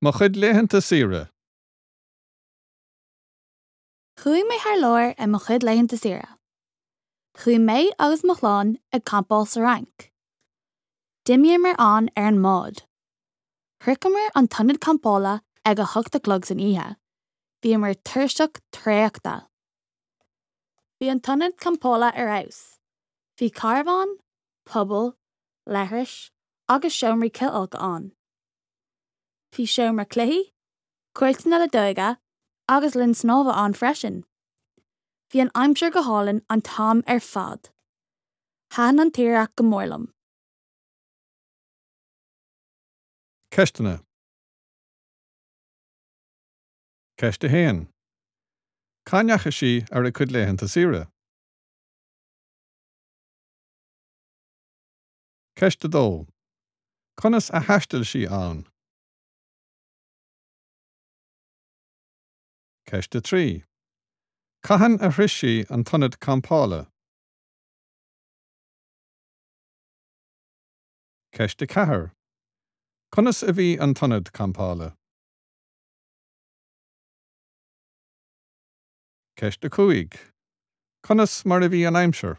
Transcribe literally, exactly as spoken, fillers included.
Mo chuid laethanta saoire. Chuaigh mé thar lear ar mo chuid laethanta saoire. Chuaigh mé agus mo chlann ag campáil sa Fhrainc. D'imíomar ann ar an mbád. Shroicheamar an t-ionad campála ag a hocht a chlog san oíche. Bhíomar tuirseach traochta. Bhí an t-ionad campála ar fheabhas. Bhí carbhán, puball, leithris agus seomraí cithfholctha ann. Bhí seomra cluichí, cúirteanna leadóige agus linn snámha ann freisin. Bhí an aimsir go hálainn an t-am ar fad. Thaitin an tsaoire go mór liom. Ceisteanna. Ceist a haon. Cá ndeachaigh sí ar a cuid laethanta saoire? Ceist a dó. Conas a thaistil sí ann? Ceist a trí. Cathain a shroich sí an t-ionad campála? Ceist a ceathair. Conas a bhí an t-ionad campála? Ceist a cúig. Conas mar a bhí an aimsir?